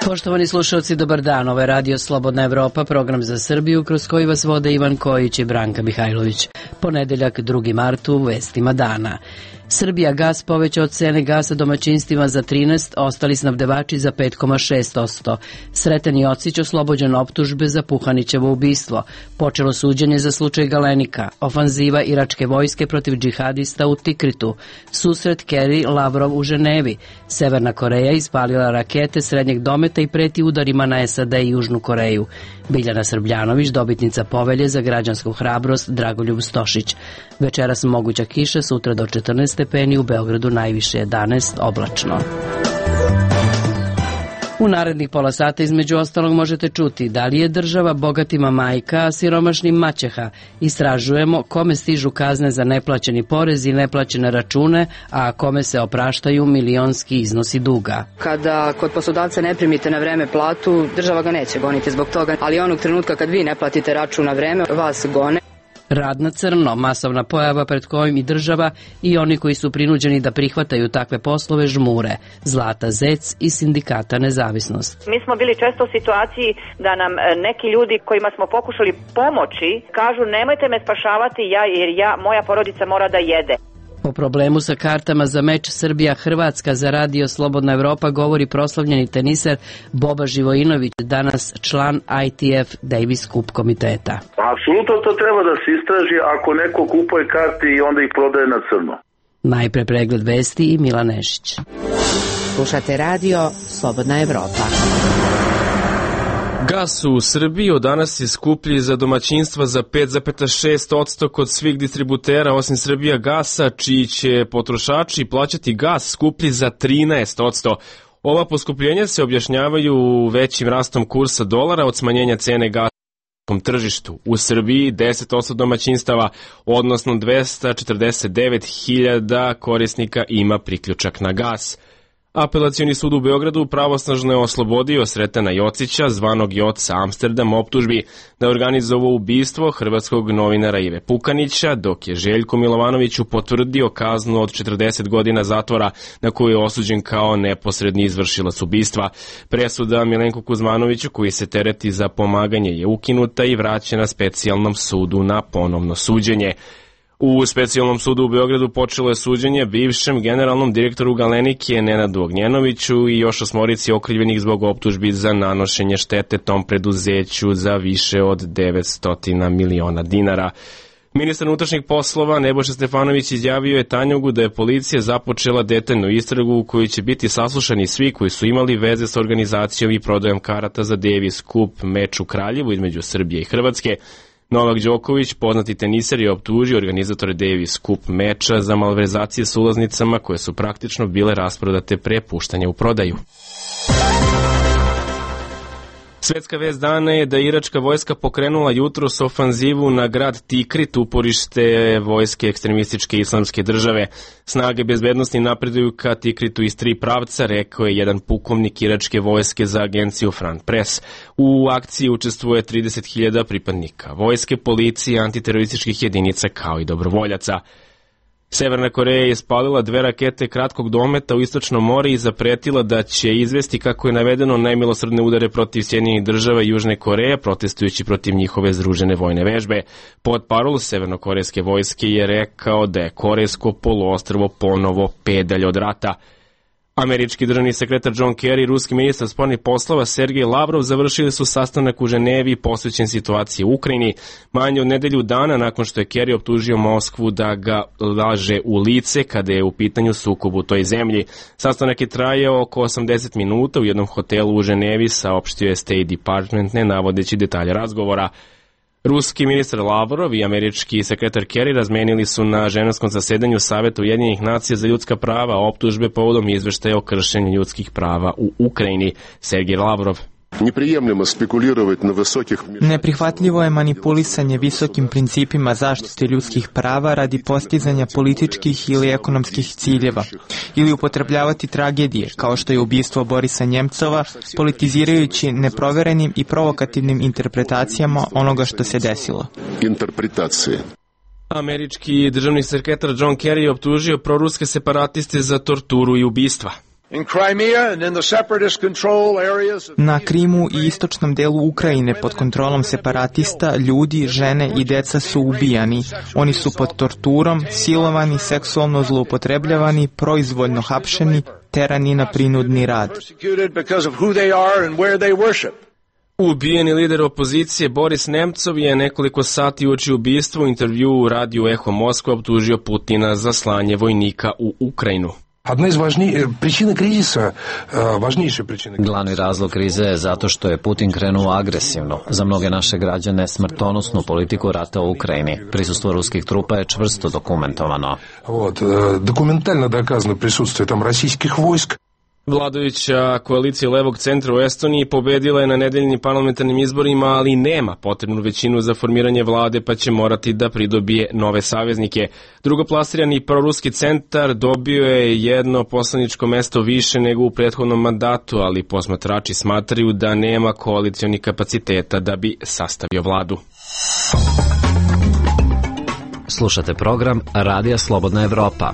Poštovani slušalci, dobar dan. Ovo je Radio Slobodna Evropa, program za Srbiju kroz koji vas vode Ivan Kojić i Branka Mihajlović. Ponedeljak, 2. mart, u vestima dana. Srbija gas povećao cene gasa domaćinstvima za 13%, ostali snabdevači za 5,6%. Sreten Jocić oslobođen optužbe za Puhanićevo ubistvo. Počelo suđenje za slučaj Galenika. Ofanziva iračke vojske protiv džihadista u Tikritu. Susret Kerry-Lavrov u Ženevi. Severna Koreja ispalila rakete srednjeg dometa i preti udarima na SAD i Južnu Koreju. Biljana Srbljanović, dobitnica povelje za građansku hrabrost, Dragoljub Stošić. Večeras moguća kiša, sutra do 14 stepeni, u Beogradu najviše 11, oblačno. U narednih pola sata između ostalog možete čuti da li je država bogatima majka, a siromašnim maćeha. Istražujemo kome stižu kazne za neplaćeni porez i neplaćene račune, a kome se opraštaju milionski iznosi duga. Kada kod poslodavca ne primite na vreme platu, država ga neće goniti zbog toga, ali onog trenutka kad vi ne platite račun na vreme, vas gone. Rad na crno, masovna pojava pred kojim i država i oni koji su prinuđeni da prihvataju takve poslove žmure. Zlata Zec iz Sindikata Nezavisnost. Mi smo bili često u situaciji da nam neki ljudi kojima smo pokušali pomoći kažu nemojte me spašavati jer moja porodica mora da jede. O problemu sa kartama za meč Srbija-Hrvatska za Radio Slobodna Evropa govori proslavljeni teniser Boba Živojinović, danas član ITF Davis Cup komiteta. Apsolutno to treba da se istraži ako neko kupuje karte i onda ih prodaje na crno. Najpre pregled vesti i Milan Nešić. Slušate Radio Slobodna Evropa. Gas u Srbiji od danas je skuplji za domaćinstva za 5,6% kod svih distributera osim Srbija gasa, čiji će potrošači plaćati gas skuplji za 13%. Ova poskupljenja se objašnjavaju većim rastom kursa dolara od smanjenja cene gasa na tržištu. U Srbiji 10% domaćinstava, odnosno 249.000 korisnika ima priključak na gas. Apelacioni sud u Beogradu pravosnažno je oslobodio Sretena Jocića, zvanog Joca Amsterdam, optužbi da je organizovao ubistvo hrvatskog novinara Ive Pukanića, dok je Željko Milovanoviću potvrdio kaznu od 40 godina zatvora na koju je osuđen kao neposredni izvršilac ubistva. Presuda Milenku Kuzmanoviću, koji se tereti za pomaganje, je ukinuta i vraćena specijalnom sudu na ponovno suđenje. U specijalnom sudu u Beogradu počelo je suđenje bivšem generalnom direktoru Galenike Nenadu Ognjenoviću i još 8 okrivljenih zbog optužbi za nanošenje štete tom preduzeću za više od 900 miliona dinara. Ministar unutrašnjih poslova Nebojša Stefanović izjavio je Tanjugu da je policija započela detaljnu istragu u kojoj će biti saslušani svi koji su imali veze s organizacijom i prodajom karata za Davis Cup meč u Kraljevu između Srbije i Hrvatske. Novak Đoković, poznati teniser, je optužio organizatore Davis Cup meča za malverzacije s ulaznicama koje su praktično bile rasprodate pre puštanja u prodaju. Svetska vest dana je da iračka vojska pokrenula jutros ofanzivu na grad Tikrit, uporište vojske ekstremističke islamske države. Snage bezbednosti napreduju ka Tikritu iz 3 pravca, rekao je jedan pukovnik iračke vojske za agenciju Front Press. U akciji učestvuje 30.000 pripadnika vojske, policije, antiterorističkih jedinica kao i dobrovoljaca. Severna Koreja je ispalila 2 rakete kratkog dometa u Istočno more i zapretila da će izvesti, kako je navedeno, najmilosrdne udare protiv Sjedinjenih država i Južne Koreje, protestujući protiv njihove združene vojne vežbe. Portparol severnokorejske vojske je rekao da je korejsko poluostrvo ponovo pedalj od rata. Američki državni sekretar John Kerry i ruski ministar spoljnih poslova Sergej Lavrov završili su sastanak u Ženevi posvećen situaciji u Ukrajini, manje od nedelju dana nakon što je Kerry optužio Moskvu da ga laže u lice kada je u pitanju sukob u toj zemlji. Sastanak je trajao oko 80 minuta u jednom hotelu u Ženevi, saopštio je State Department, ne navodeći detalje razgovora. Ruski ministar Lavrov i američki sekretar Kerry razmenili su na ženevskom zasedanju Saveta Ujedinjenih nacija za ljudska prava optužbe povodom izveštaja o kršenju ljudskih prava u Ukrajini. Sergej Lavrov. Neprihvatljivo je manipulisanje visokim principima zaštite ljudskih prava radi postizanja političkih ili ekonomskih ciljeva ili upotrebljavati tragedije kao što je ubistvo Borisa Njemcova, politizirajući neproverenim i provokativnim interpretacijama onoga što se desilo. Američki državni sekretar John Kerry je optužio proruske separatiste za torturu i ubistva. Na Krimu i istočnom delu Ukrajine pod kontrolom separatista ljudi, žene i deca su ubijani. Oni su pod torturom, silovani, seksualno zloupotrebljavani, proizvoljno hapšeni, terani na prinudni rad. Ubijeni lider opozicije Boris Nemcov je nekoliko sati uoči ubistva u intervju u radiju Eho Moskva optužio Putina za slanje vojnika u Ukrajinu. Glavni razlog krize je zato što je Putin krenuo agresivno. Za mnoge naše građane smrtonosnu politiku rata u Ukrajini. Prisustvo ruskih trupa je čvrsto dokumentovano. Dokumentalno dokazano prisustvo tam rasijskih vojsk. Vladajuća koalicija levog centra u Estoniji pobedila je na nedeljnim parlamentarnim izborima, ali nema potrebnu većinu za formiranje vlade, pa će morati da pridobije nove saveznike. Drugoplasirani proruski centar dobio je jedno poslaničko mesto više nego u prethodnom mandatu, ali posmatrači smatraju da nema koalicionih kapaciteta da bi sastavio vladu. Slušate program Radija Slobodna Evropa.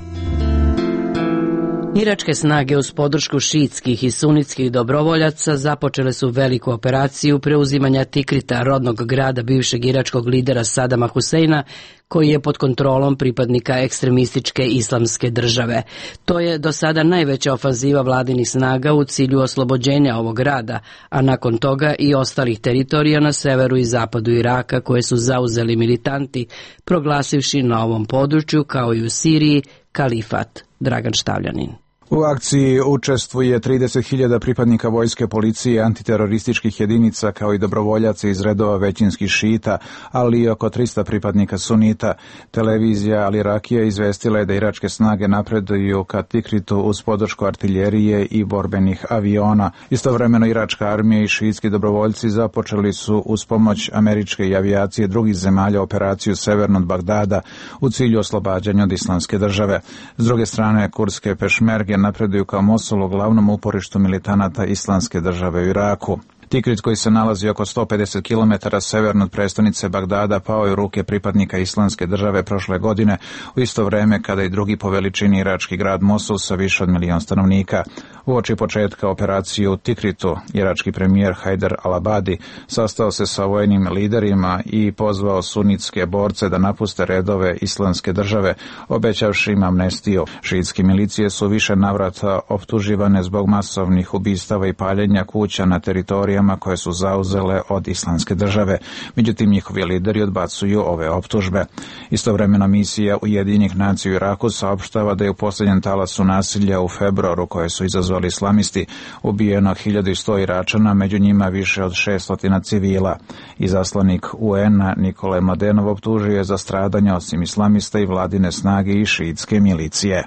Iračke snage uz podršku šiitskih i sunitskih dobrovoljaca započele su veliku operaciju preuzimanja Tikrita, rodnog grada bivšeg iračkog lidera Sadama Huseina, koji je pod kontrolom pripadnika ekstremističke islamske države. To je do sada najveća ofanziva vladinih snaga u cilju oslobođenja ovog grada, a nakon toga i ostalih teritorija na severu i zapadu Iraka koje su zauzeli militanti, proglasivši na ovom području, kao i u Siriji, kalifat. Dragan Štavljanin. U akciji učestvuje 30.000 pripadnika vojske, policije i antiterorističkih jedinica, kao i dobrovoljaca iz redova većinskih šita, ali i oko 300 pripadnika sunita. Televizija Al Irakija izvestila je da iračke snage napreduju ka Tikritu uz podršku artiljerije i borbenih aviona. Istovremeno iračka armija i šiitski dobrovoljci započeli su uz pomoć američke i avijacije drugih zemalja operaciju severno od Bagdada u cilju oslobađanja od islamske države. S druge strane, kurdske pešmerge napreduju kao Mosulu, glavnom uporištu militanata islamske države u Iraku. Tikrit, koji se nalazi oko 150 km severno od prestonice Bagdada, pao je u ruke pripadnika islamske države prošle godine, u isto vreme kada i drugi po veličini irački grad Mosul sa više od 1 milion stanovnika. Uoči početka operacije u Tikritu, irački premijer Hajder al-Abadi sastao se sa vojnim liderima i pozvao sunitske borce da napuste redove islamske države, obećavši im amnestiju. Šiitske milicije su više navrata optuživane zbog masovnih ubistava i paljenja kuća na teritorijama koje su zauzele od islamske države. Međutim, njihovi lideri odbacuju ove optužbe. Istovremeno misija Ujedinjenih nacija u Iraku saopštava da je u posljednjem talasu nasilja u februaru koje su izazvali islamisti ubijeno 1100 Iračana, među njima više od 600 civila. Izaslanik UN-a Nikole Mladenov optužio je za stradanja osim islamista i vladine snage i šiitske milicije.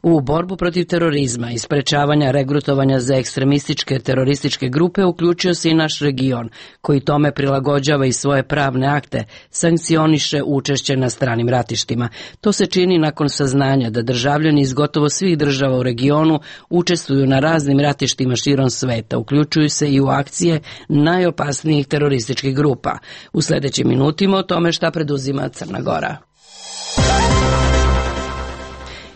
U borbu protiv terorizma i sprečavanja regrutovanja za ekstremističke terorističke grupe uključio se i naš region, koji tome prilagođava i svoje pravne akte, sankcioniše učešće na stranim ratištima. To se čini nakon saznanja da državljani iz gotovo svih država u regionu učestvuju na raznim ratištima širom sveta, uključuju se i u akcije najopasnijih terorističkih grupa. U sljedećim minutima o tome šta preduzima Crna Gora.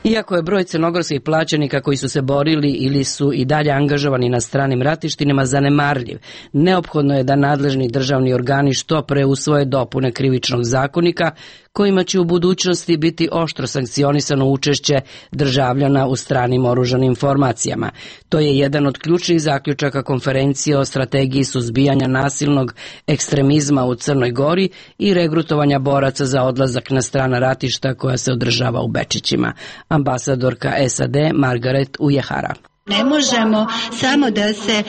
Iako je broj crnogorskih plaćenika koji su se borili ili su i dalje angažovani na stranim ratištima zanemarljiv, neophodno je da nadležni državni organi što pre usvoje dopune krivičnog zakonika kojima će u budućnosti biti oštro sankcionisano učešće državljana u stranim oružanim formacijama. To je jedan od ključnih zaključaka konferencije o strategiji suzbijanja nasilnog ekstremizma u Crnoj Gori i regrutovanja boraca za odlazak na strana ratišta koja se održava u Bečićima. Ambasadorka SAD Margaret Ujehara. Ne možemo samo da se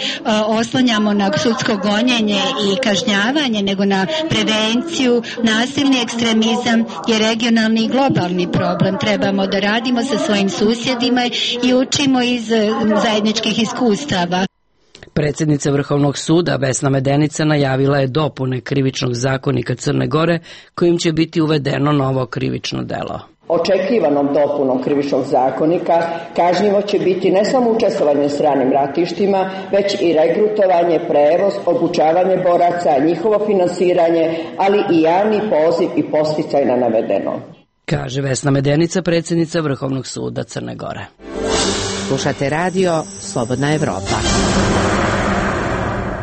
oslanjamo na sudsko gonjenje i kažnjavanje, nego na prevenciju. Nasilni ekstremizam je regionalni i globalni problem. Trebamo da radimo sa svojim susjedima i učimo iz zajedničkih iskustava. Predsjednica Vrhovnog suda Vesna Medenica najavila je dopune krivičnog zakonika Crne Gore kojim će biti uvedeno novo krivično delo. Očekivanom dopunom krivičnog zakonika kažnjivo će biti ne samo učestvovanje u stranim ratištima, već i regrutovanje, prevoz, obučavanje boraca, njihovo finansiranje, ali i javni poziv i podsticaj na navedeno. Kaže Vesna Medenica, predsjednica Vrhovnog suda Crne Gore. Slušate radio Slobodna Evropa.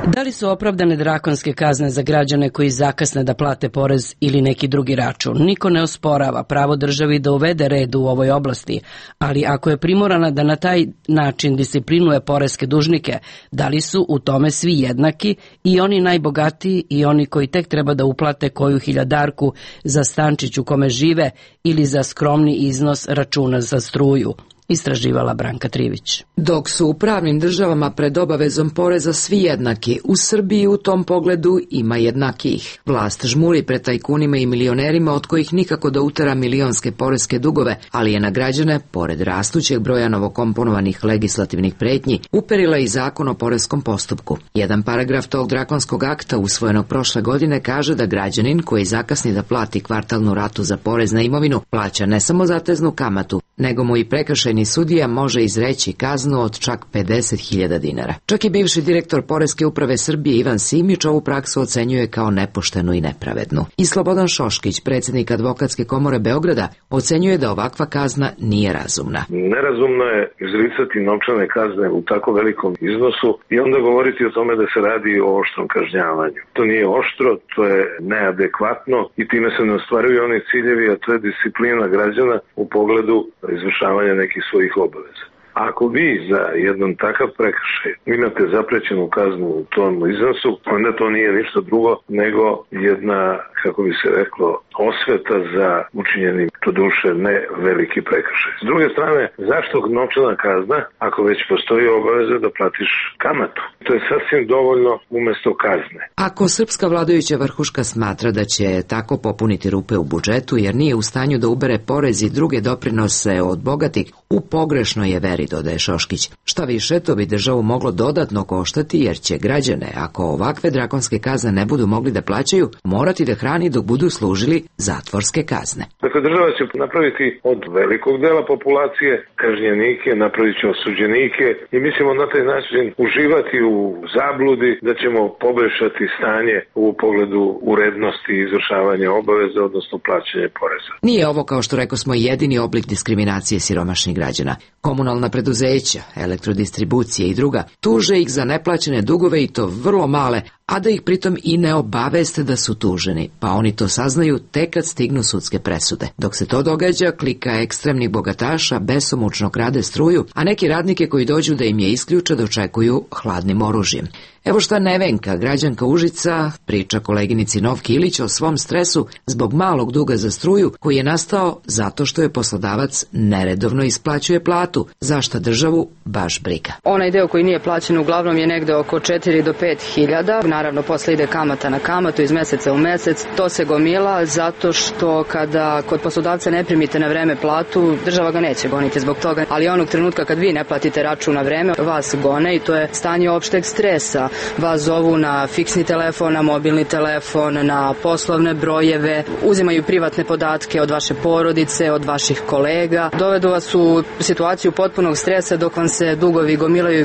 Da li su opravdane drakonske kazne za građane koji zakasne da plate porez ili neki drugi račun? Niko ne osporava pravo državi da uvede red u ovoj oblasti, ali ako je primorana da na taj način disciplinuje poreske dužnike, da li su u tome svi jednaki, i oni najbogatiji i oni koji tek treba da uplate koju hiljadarku za stančić u kome žive ili za skromni iznos računa za struju? Istraživala Branka Trivić. Dok su u pravnim državama pred obavezom poreza svi jednaki, u Srbiji u tom pogledu ima jednakijih. Vlast žmuri pred tajkunima i milionerima od kojih nikako da utera milionske poreske dugove, ali je na građane, pored rastućeg broja novokomponovanih legislativnih pretnji, uperila i zakon o poreskom postupku. Jedan paragraf tog drakonskog akta usvojenog prošle godine kaže da građanin koji zakasni da plati kvartalnu ratu za porez na imovinu plaća ne samo zateznu kamatu, nego mu i prekršajni sudija može izreći kaznu od čak 50.000 dinara. Čak i bivši direktor Poreske uprave Srbije Ivan Simić ovu praksu ocenjuje kao nepoštenu i nepravednu. I Slobodan Šoškić, predsjednik Advokatske komore Beograda, ocenjuje da ovakva kazna nije razumna. Nerazumno je izricati novčane kazne u tako velikom iznosu i onda govoriti o tome da se radi o oštrom kažnjavanju. To nije oštro, to je neadekvatno i time se ne ostvaruju oni ciljevi, a to je disciplina građana u pogledu izvršavanja nekih svojih obaveza. Ako vi za jedan takav prekršaj imate zaprećenu kaznu u tom iznosu, onda to nije ništa drugo nego jedna, kako bi se reklo, osveta za učinjeni, to duše, ne veliki prekršaj. S druge strane, zašto novčana kazna ako već postoji obaveza da platiš kamatu? To je sasvim dovoljno umesto kazne. Ako srpska vladajuća vrhuška smatra da će tako popuniti rupe u budžetu jer nije u stanju da ubere porez i druge doprinose od bogatih, u pogrešnoj je veri, dodaje Šoškić. Šta više, to bi državu moglo dodatno koštati jer će građane, ako ovakve drakonske kazne ne budu mogli da plaćaju, morati da hrani dok budu služili zatvorske kazne. Dakle, država će napraviti od velikog dela populacije kažnjenike, napravit će osuđenike i mi ćemo na taj način uživati u zabludi da ćemo poboljšati stanje u pogledu urednosti izvršavanja obaveza, odnosno plaćanja poreza. Nije ovo, kao što rekao smo, jedini oblik diskriminacije siromašnih građana. Komunalna preduzeća, elektrodistribucije i druga tuže ih za neplaćene dugove i to vrlo male, a da ih pritom i ne obaveste da su tuženi, pa oni to saznaju tek kad stignu sudske presude. Dok se to događa, klika ekstremnih bogataša besomučno krade struju, a neki radnike koji dođu da im je isključe dočekuju hladnim oružjem. Evo šta Nevenka, građanka Užica, priča koleginici Novki Ilić o svom stresu zbog malog duga za struju koji je nastao zato što je poslodavac neredovno isplaćuje platu, za šta državu baš briga. Onaj deo koji nije plaćen uglavnom je negde oko 4 do 5 hiljada. Naravno, posle ide kamata na kamatu iz meseca u mesec. To se gomila zato što kada kod poslodavca ne primite na vreme platu, država ga neće goniti zbog toga. Ali onog trenutka kad vi ne platite račun na vreme, vas gone i to je stanje opšteg stresa. Vas zovu na fiksni telefon, na mobilni telefon, na poslovne brojeve, uzimaju privatne podatke od vaše porodice, od vaših kolega. Dovedu vas u situaciju potpunog stresa dok vam se dugovi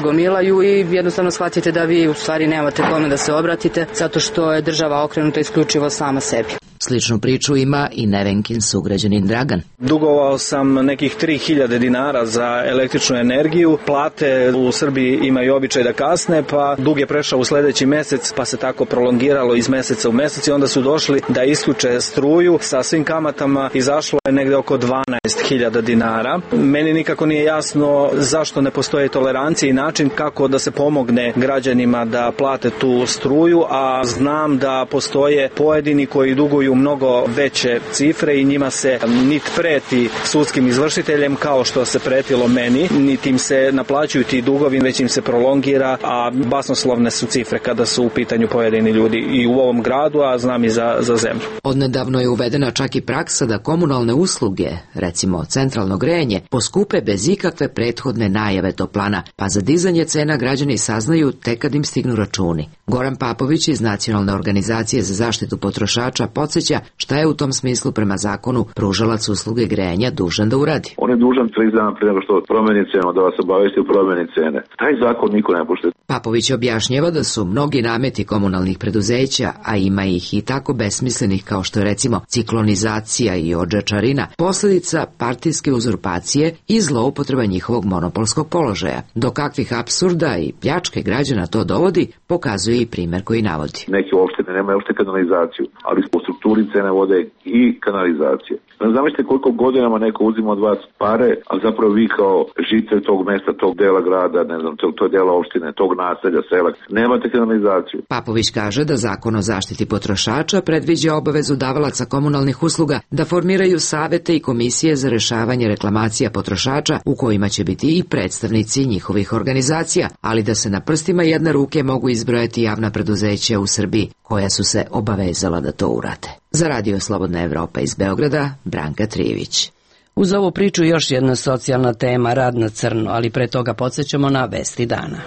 gomilaju i jednostavno shvatite da vi u stvari nemate kome da se obratite zato što je država okrenuta isključivo sama sebi. Sličnu priču ima i Nevenkin sugrađanin Dragan. Dugovao sam nekih 3000 dinara za električnu energiju. Plate u Srbiji imaju običaj da kasne, pa dug je prešao u sledeći mesec, pa se tako prolongiralo iz meseca u mesec i onda su došli da isključe struju sa svim kamatama. Izašlo je negde oko 12.000 dinara. Meni nikako nije jasno zašto ne postoje tolerancije i način kako da se pomogne građanima da plate tu struju, a znam da postoje pojedini koji duguju mnogo veće cifre i njima se niti preti sudskim izvršiteljem kao što se pretilo meni, niti im se naplaćuju ti dugovi, već im se prolongira, a basnoslovne su cifre kada su u pitanju pojedini ljudi i u ovom gradu, a znam i za zemlju. Odnedavno je uvedena čak i praksa da komunalne usluge, recimo centralno grejanje, poskupe bez ikakve prethodne najave toplana, pa za dizanje cena građani saznaju tek kad im stignu računi. Goran Papović iz Nacionalne organizacije za zaštitu potrošača podsjeća podsjeća šta je u tom smislu prema zakonu pružalac usluge grejanja dužan da uradi. On je dužan 30 dana prije nego što promeni cenu da vas obavesti u promeni cene. Taj zakon niko ne poštuje. Papović objašnjava da su mnogi nameti komunalnih preduzeća, a ima ih i tako besmislenih kao što je recimo ciklonizacija i odžačarina, posljedica partijske uzurpacije i zloupotreba njihovog monopolskog položaja. Do kakvih apsurda i pljačke građana to dovodi, pokazuje i primjer koji navodi. Neke opštine nemaju uopšte kanalizaciju, ali po strukturi cene vode i kanalizacije. Zamislite koliko godinama neko uzima od vas pare, a zapravo vi kao žitelj tog mesta, tog dela grada, ne znam, tog dela opštine, tog naselja, sela, nemate kanalizaciju. Papović kaže da Zakon o zaštiti potrošača predviđa obavezu davalaca komunalnih usluga da formiraju savete i komisije za rešavanje reklamacija potrošača u kojima će biti i predstavnici njihovih organizacija, ali da se na prstima jedne ruke mogu izbrojati javna preduzeća u Srbiji koja su se obavezala da to urade. Za Radio Slobodna Evropa iz Beograda, Branka Trijević. Uz ovu priču još jedna socijalna tema, rad na crno, ali pre toga podsjećamo na vesti dana.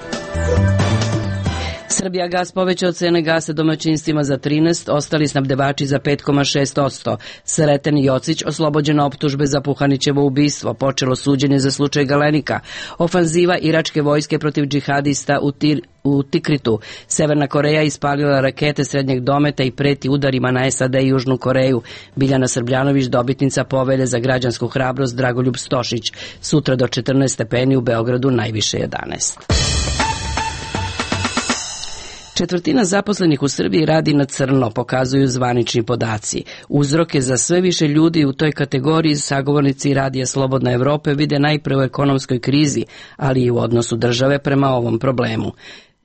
Srbijagas povećao cene gasa domaćinstvima za 13%, ostali snabdevači za 5,6%. Sreten Jocić oslobođen optužbe za Puhanićevo ubistvo, počelo suđenje za slučaj Galenika. Ofanziva iračke vojske protiv džihadista u Tikritu. Severna Koreja ispalila rakete srednjeg dometa i preti udarima na SAD i Južnu Koreju. Biljana Srbljanović, dobitnica povelje za građansku hrabrost, Dragoljub Stošić. Sutra do 14 stepeni, u Beogradu najviše 11. Četvrtina zaposlenih u Srbiji radi na crno, pokazuju zvanični podaci. Uzroke za sve više ljudi u toj kategoriji sagovornici Radija Slobodna Evropa vide najpre u ekonomskoj krizi, ali i u odnosu države prema ovom problemu.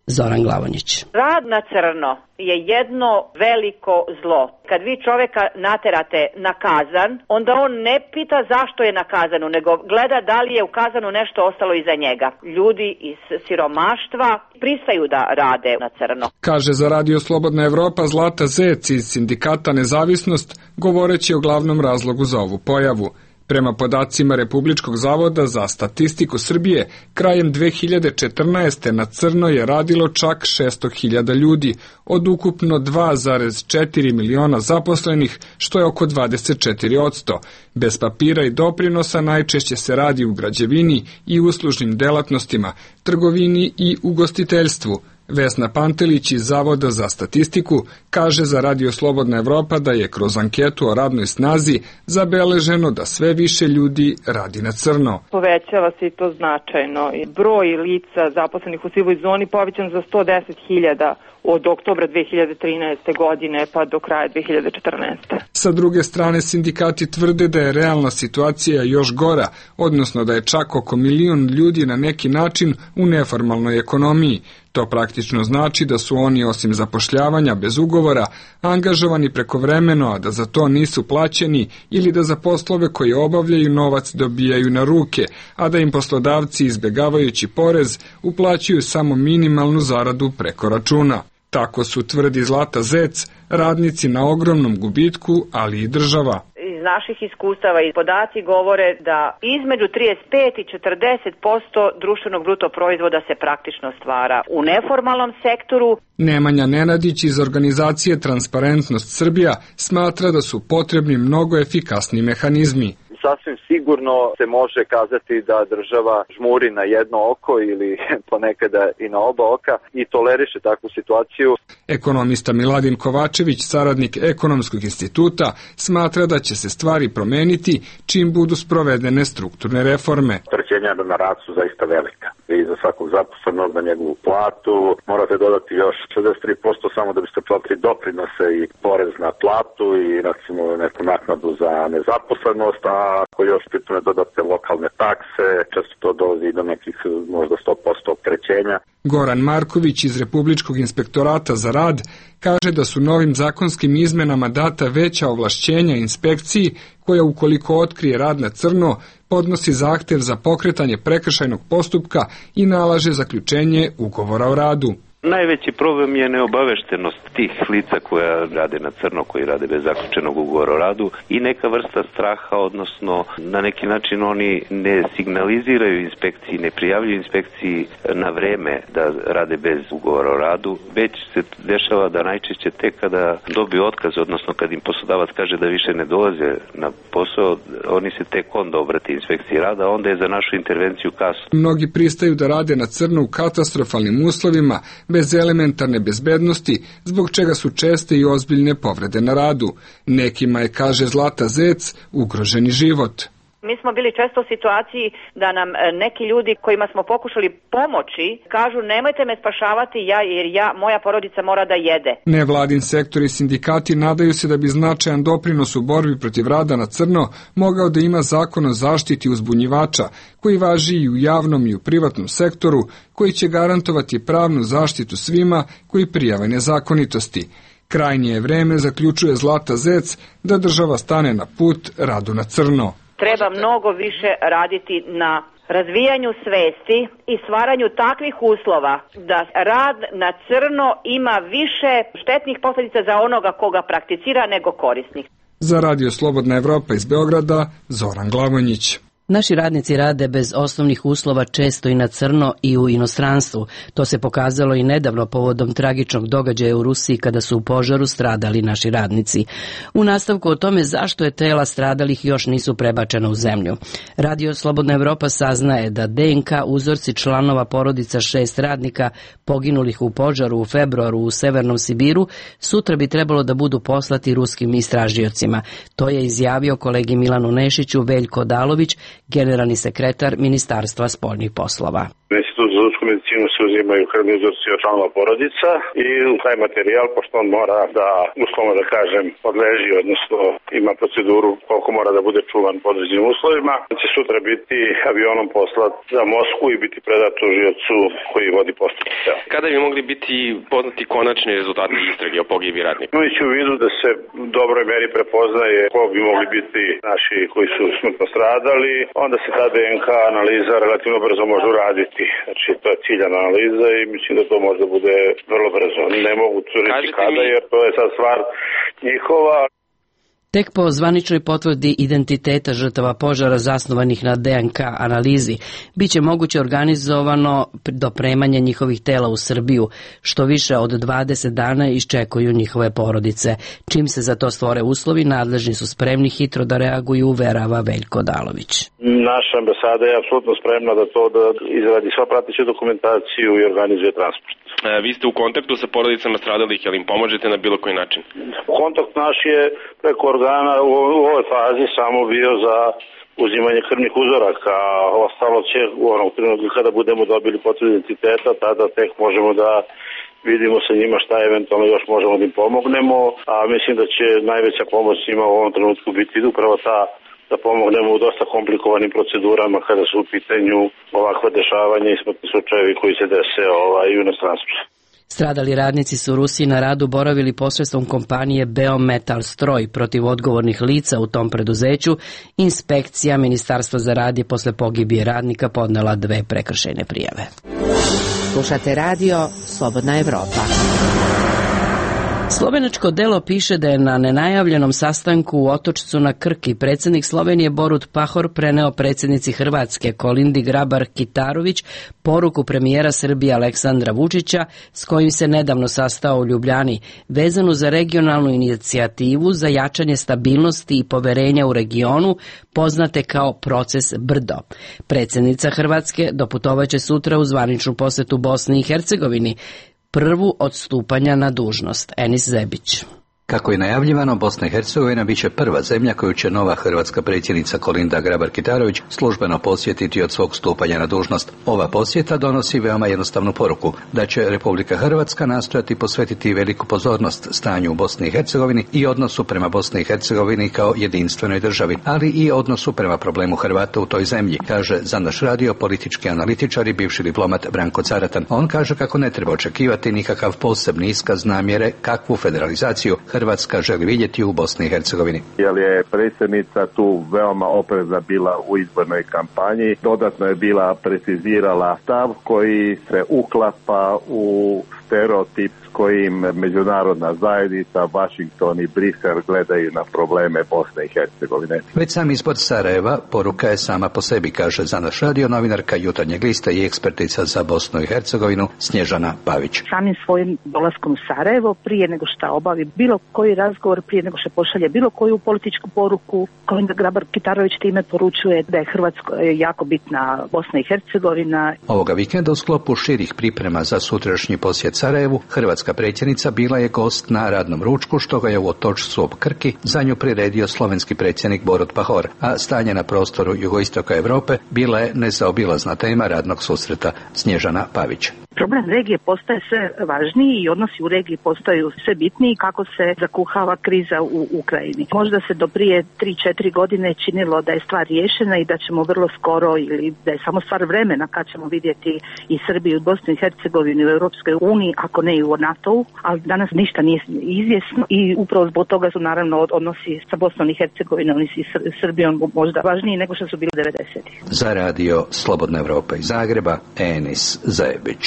Zoran Glavonjić. Rad na crno je jedno veliko zlo. Kad vi čoveka naterate na kazan, onda on ne pita zašto je na kazanu, nego gleda da li je u kazanu nešto ostalo iza njega. Ljudi iz siromaštva pristaju da rade na crno. Kaže za Radio Slobodna Evropa Zlata Zec iz sindikata Nezavisnost, govoreći o glavnom razlogu za ovu pojavu. Prema podacima Republičkog zavoda za statistiku Srbije, krajem 2014. na crno je radilo čak 600.000 ljudi, od ukupno 2,4 miliona zaposlenih, što je oko 24%. Bez papira i doprinosa najčešće se radi u građevini i uslužnim delatnostima, trgovini i ugostiteljstvu. Vesna Pantelić iz Zavoda za statistiku kaže za Radio Slobodna Evropa da je kroz anketu o radnoj snazi zabeleženo da sve više ljudi radi na crno. Povećava se i to značajno. Broj lica zaposlenih u sivoj zoni povećan za 110.000 od oktobra 2013. godine pa do kraja 2014. Sa druge strane, sindikati tvrde da je realna situacija još gora, odnosno da je čak oko 1 milion ljudi na neki način u neformalnoj ekonomiji. To praktično znači da su oni osim zapošljavanja bez ugovora angažovani prekovremeno, a da za to nisu plaćeni ili da za poslove koje obavljaju novac dobijaju na ruke, a da im poslodavci izbjegavajući porez uplaćuju samo minimalnu zaradu preko računa. Tako su, tvrdi Zlata Zec, radnici na ogromnom gubitku, ali i država. Iz naših iskustava i podaci govore da između 35 i 40% društvenog bruto proizvoda se praktično stvara u neformalnom sektoru. Nemanja Nenadić iz organizacije Transparentnost Srbija smatra da su potrebni mnogo efikasni mehanizmi. Sasvim sigurno se može kazati da država žmuri na jedno oko ili ponekada i na oba oka i toleriše takvu situaciju. Ekonomista Miladin Kovačević, saradnik Ekonomskog instituta, smatra da će se stvari promeniti čim budu sprovedene strukturne reforme. Opterećenja na rad su zaista velika. Vi za svakog zaposlenog na njegovu platu morate dodati još 63% samo da biste platili doprinose i porez na platu i recimo neku naknadu za nezaposlenost, a ako još pitune dodate lokalne takse, često to dolazi do nekih možda 100% opterećenja. Goran Marković iz Republičkog inspektorata za rad kaže da su novim zakonskim izmenama data veća ovlašćenja inspekciji koja ukoliko otkrije rad na crno podnosi zahtev za pokretanje prekršajnog postupka i nalaže zaključenje ugovora o radu. Najveći problem je neobaveštenost tih lica koja rade na crno, koji rade bez zaključenog ugovora o radu i neka vrsta straha, odnosno na neki način oni ne signaliziraju inspekciji, ne prijavljuju inspekciji na vreme da rade bez ugovora o radu, već se dešava da najčešće tek kada dobiju otkaz, odnosno kad im poslodavac kaže da više ne dolaze na posao, oni se tek onda obrate inspekciji rada, onda je za našu intervenciju kasno. Mnogi pristaju da rade na crno u katastrofalnim uslovima, bez elementarne bezbednosti, zbog čega su česte i ozbiljne povrede na radu. Nekima je, kaže Zlata Zec, ugroženi život. Mi smo bili često u situaciji da nam neki ljudi kojima smo pokušali pomoći kažu nemojte me spašavati jer moja porodica mora da jede. Nevladin sektor i sindikati nadaju se da bi značajan doprinos u borbi protiv rada na crno mogao da ima zakon o zaštiti uzbunjivača, koji važi i u javnom i u privatnom sektoru, koji će garantovati pravnu zaštitu svima koji prijave nezakonitosti. Krajnje je vreme, zaključuje Zlata Zec, da država stane na put radu na crno. Treba mnogo više raditi na razvijanju svesti i stvaranju takvih uslova da rad na crno ima više štetnih posljedica za onoga koga prakticira nego korisnih. Za Radio Slobodna Evropa iz Beograda, Zoran Glavonjić. Naši radnici rade bez osnovnih uslova često i na crno i u inostranstvu. To se pokazalo i nedavno povodom tragičnog događaja u Rusiji kada su u požaru stradali naši radnici. U nastavku o tome zašto je tela stradalih još nisu prebačena u zemlju. Radio Slobodna Evropa saznaje da DNK uzorci članova porodica 6 radnika poginulih u požaru u februaru u Severnom Sibiru sutra bi trebalo da budu poslati ruskim istražiocima. To je izjavio kolegi Milanu Nešiću Veljko Odalović, generalni sekretar Ministarstva spoljnih poslova. U Institutu za ljudsku medicinu se uzimaju krvni uzorci od članova porodica i taj materijal, pošto on mora da, uslovno da kažem, podleži, odnosno ima proceduru koliko mora da bude čuvan po određenim uslovima, će sutra biti avionom poslat za Moskvu i biti predat tužiocu koji vodi postupak. Kada bi mogli biti poznati konačni rezultati istrage o pogibiji radnika? Imajući u vidu da se u dobroj meri prepoznaje ko bi mogli biti naši koji su smrtno stradali, onda se ta DNK analiza relativno brzo može uraditi. Znači, to je ciljana analiza i mislim da to može da bude vrlo brzo. Ne mogu tvrditi kada, jer to je sad stvar njihova. Tek po zvaničnoj potvrdi identiteta žrtava požara zasnovanih na DNK analizi, biće moguće organizovano dopremanje njihovih tela u Srbiju, što više od 20 dana iščekuju njihove porodice. Čim se za to stvore uslovi, nadležni su spremni hitro da reaguju, uverava Veljko Odalović. Naša ambasada je apsolutno spremna da izradi sva prateću dokumentaciju i organizuje transport. Vi ste u kontaktu sa porodicama stradalih, ali im pomožete na bilo koji način? Kontakt naš je preko organa u ovoj fazi samo bio za uzimanje krvnih uzoraka, a ostalo će u onom trenutku kada budemo dobili potvrdu identiteta, tada tek možemo da vidimo sa njima šta eventualno još možemo da im pomognemo, a mislim da će najveća pomoć njima u ovom trenutku biti upravo ta da pomognemo u dosta komplikovanim procedurama kada su u pitanju ovakva dešavanja i smrtni slučajevi koji se dese u inostranstvu. Stradali radnici su u Rusiji na radu boravili posredstvom kompanije Beometal Stroj protiv odgovornih lica u tom preduzeću. Inspekcija Ministarstva za rad je posle pogibije radnika podnela 2 prekršajne prijave. Slušate radio Slobodna Evropa. Slovenačko delo piše da je na nenajavljenom sastanku u Otočcu na Krki predsjednik Slovenije Borut Pahor preneo predsjednici Hrvatske Kolindi Grabar-Kitarović poruku premijera Srbije Aleksandra Vučića s kojim se nedavno sastao u Ljubljani, vezanu za regionalnu inicijativu za jačanje stabilnosti i poverenja u regionu, poznate kao proces Brdo. Predsjednica Hrvatske doputovaće sutra u zvaničnu posetu Bosni i Hercegovini, prvu od stupanja na dužnost. Enis Zebić. Kako je najavljivano, Bosna i Hercegovina bit će prva zemlja koju će nova hrvatska predsjednica Kolinda Grabar-Kitarović službeno posjetiti od svog stupanja na dužnost. Ova posjeta donosi veoma jednostavnu poruku, da će Republika Hrvatska nastojati posvetiti veliku pozornost stanju u Bosni i Hercegovini i odnosu prema Bosni i Hercegovini kao jedinstvenoj državi, ali i odnosu prema problemu Hrvata u toj zemlji, kaže za naš radio politički analitičar i bivši diplomat Branko Caratan. On kaže kako ne treba očekivati nikakav posebni iskaz namjere kakvu federalizaciju Hrvatska želi vidjeti u Bosni i Hercegovini. Jer je predsjednica tu veoma oprezna bila u izbornoj kampanji. Dodatno je bila precizirala stav koji se uklapa u stereotip s kojim međunarodna zajednica, Washington i Brisel gledaju na probleme Bosne i Hercegovine. Već sam izbor Sarajeva poruka je sama po sebi, kaže za naš radio novinarka Jutarnjeg lista i ekspertica za Bosnu i Hercegovinu Snježana Pavić. Samim svojim dolaskom u Sarajevo, prije nego što obavi bilo koji razgovor, prije nego što pošalje bilo koju političku poruku, Kolinda Grabar-Kitarović time poručuje da je Hrvatskoj jako bitna Bosna i Hercegovina. Ovoga vikenda u sklopu širih priprema za sutrašnji posjet Sarajevu, hrvatska predsjednica bila je gost na radnom ručku, što ga je u Otočcu ob Krki za nju priredio slovenski predsjednik Borut Pahor, a stanje na prostoru jugoistoka Europe bila je nezaobilazna tema radnog susreta. Snježana Pavić. Problem regije postaje sve važniji i odnosi u regiji postaju sve bitniji kako se zakuhava kriza u Ukrajini. Možda se do prije 3-4 godine činilo da je stvar riješena i da ćemo vrlo skoro, ili da je samo stvar vremena kad ćemo vidjeti i Srbiju, Bosnu i Hercegovinu u Europskoj uniji, ako ne i u NATO-u, ali danas ništa nije izvjesno i upravo zbog toga su naravno odnosi sa Bosnom i Hercegovinom i Srbijom možda važniji nego što su bili 90-ih. Za radio Slobodna Evropa iz Zagreba, Enis Zajebić.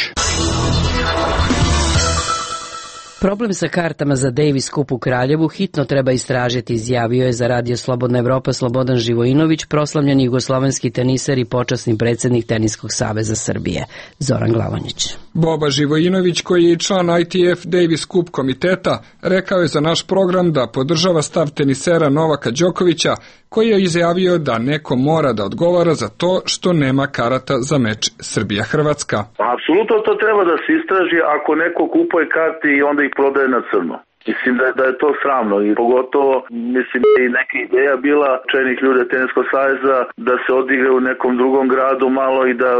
Problem sa kartama za Davis Cup u Kraljevu hitno treba istražiti, izjavio je za radio Slobodna Evropa Slobodan Živojinović, proslavljeni jugoslovenski teniser i počasni predsjednik Teniskog saveza Srbije, Zoran Glavonjić. Boba Živojinović, koji je i član ITF Davis Cup komiteta, rekao je za naš program da podržava stav tenisera Novaka Đokovića, koji je izjavio da neko mora da odgovara za to što nema karata za meč Srbija-Hrvatska. Apsolutno to treba da se istraži ako neko kupuje karte i onda ih prodaje na crno. Mislim da je to sramno i pogotovo, mislim da je neka ideja bila čelnih ljudi Teniskog saveza da se odigra u nekom drugom gradu malo i da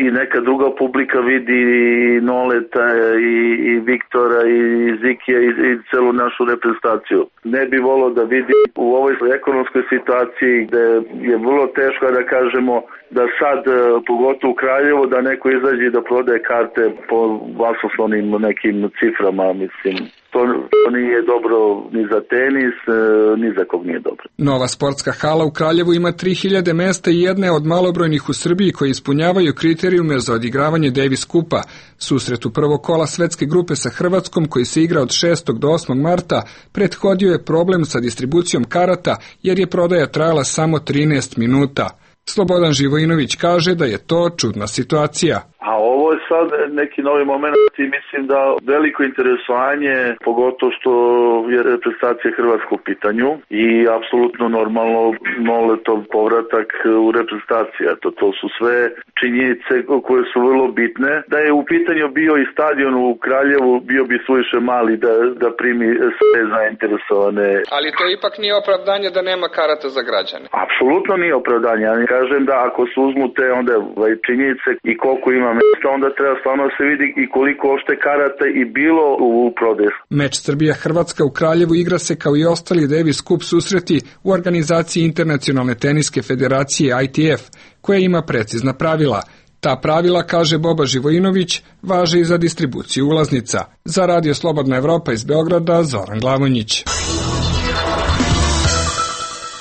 i neka druga publika vidi i Noleta i Viktora i Zikija i celu našu reprezentaciju. Ne bi volio da vidi u ovoj ekonomskoj situaciji gde je vrlo teško da kažemo da sad, pogotovo u Kraljevo, da neko izađe da prodaje karte po vasoslovnim nekim ciframa, mislim. To nije dobro ni za tenis, ni za kog nije dobro. Nova sportska hala u Kraljevu ima 3000 mesta i jedne od malobrojnih u Srbiji koji ispunjavaju kriterijume za odigravanje Davis Cupa. Susret u prvog kola svetske grupe sa Hrvatskom, koji se igra od 6. do 8. marta, prethodio je problem sa distribucijom karata jer je prodaja trajala samo 13 minuta. Slobodan Živojinović kaže da je to čudna situacija. A ovo je sad neki novi moment i mislim da veliko interesovanje, pogotovo što je reprezentacija Hrvatska u pitanju i apsolutno normalno Noletov povratak u reprezentaciju. To su sve činjenice koje su vrlo bitne. Da je u pitanju bio i stadion u Kraljevu, bio bi suviše mali da primi sve zainteresovane. Ali to ipak nije opravdanje da nema karata za građane. Apsolutno nije opravdanje. Ja kažem da ako se uzmu te onda činjenice i koliko ima mesta, onda treba stvarno se vidi i koliko opšte karata i bilo u prodaju. Meč Srbija-Hrvatska u Kraljevu igra se kao i ostali Davis Cup susreti u organizaciji Internacionalne teniske federacije ITF, koja ima precizna pravila. Ta pravila, kaže Boba Živojinović, važe i za distribuciju ulaznica. Za radio Slobodna Evropa iz Beograda, Zoran Glavonjić.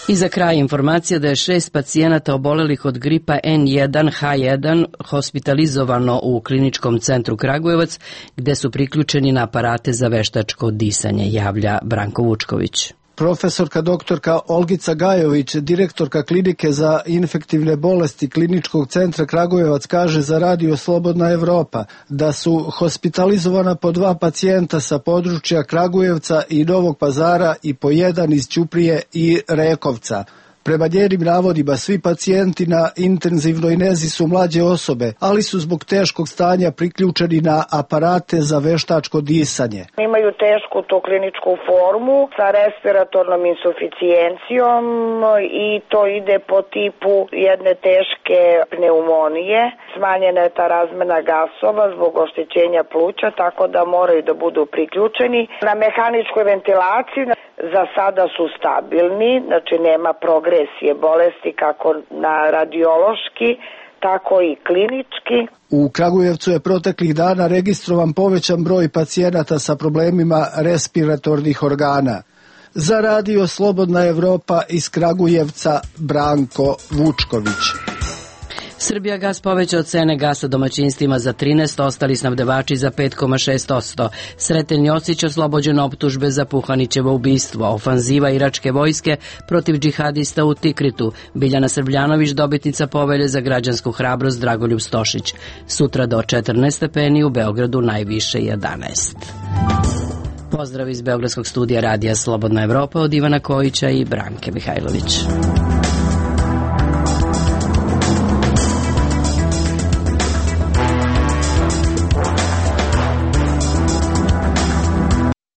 I za kraj informacija da je 6 pacijenata obolelih od gripa N1H1 hospitalizovano u kliničkom centru Kragujevac, gde su priključeni na aparate za veštačko disanje, javlja Branko Vučković. Profesorka doktorka Olgica Gajović, direktorka klinike za infektivne bolesti Kliničkog centra Kragujevac, kaže za radio Slobodna Evropa da su hospitalizovana po 2 pacijenta sa područja Kragujevca i Novog Pazara i po 1 iz Ćuprije i Rekovca. Prema njenim navodima, svi pacijenti na intenzivnoj nezi su mlađe osobe, ali su zbog teškog stanja priključeni na aparate za veštačko disanje. Imaju tešku to kliničku formu sa respiratornom insuficijencijom i to ide po tipu jedne teške pneumonije. Smanjena je ta razmena gasova zbog oštećenja pluća, tako da moraju da budu priključeni. Na mehaničkoj ventilaciji za sada su stabilni, znači nema progresije bolesti kako na radiološki, tako i klinički. U Kragujevcu je proteklih dana registrovan povećan broj pacijenata sa problemima respiratornih organa. Za radio Slobodna Evropa iz Kragujevca, Branko Vučković. Srbijagas povećao cene gasa domaćinstvima za 13%, ostali snabdevači za 5,6%. Sreten Josić oslobođen optužbe za Puhanićevo ubistvo. Ofanziva iračke vojske protiv džihadista u Tikritu. Biljana Srbljanović dobitnica povelje za građansku hrabrost. Dragoljub Stošić. Sutra do 14 stepeni, u Beogradu najviše 11. Pozdrav iz Beogradskog studija Radija Slobodna Evropa od Ivana Kojića i Branke Mihajlović.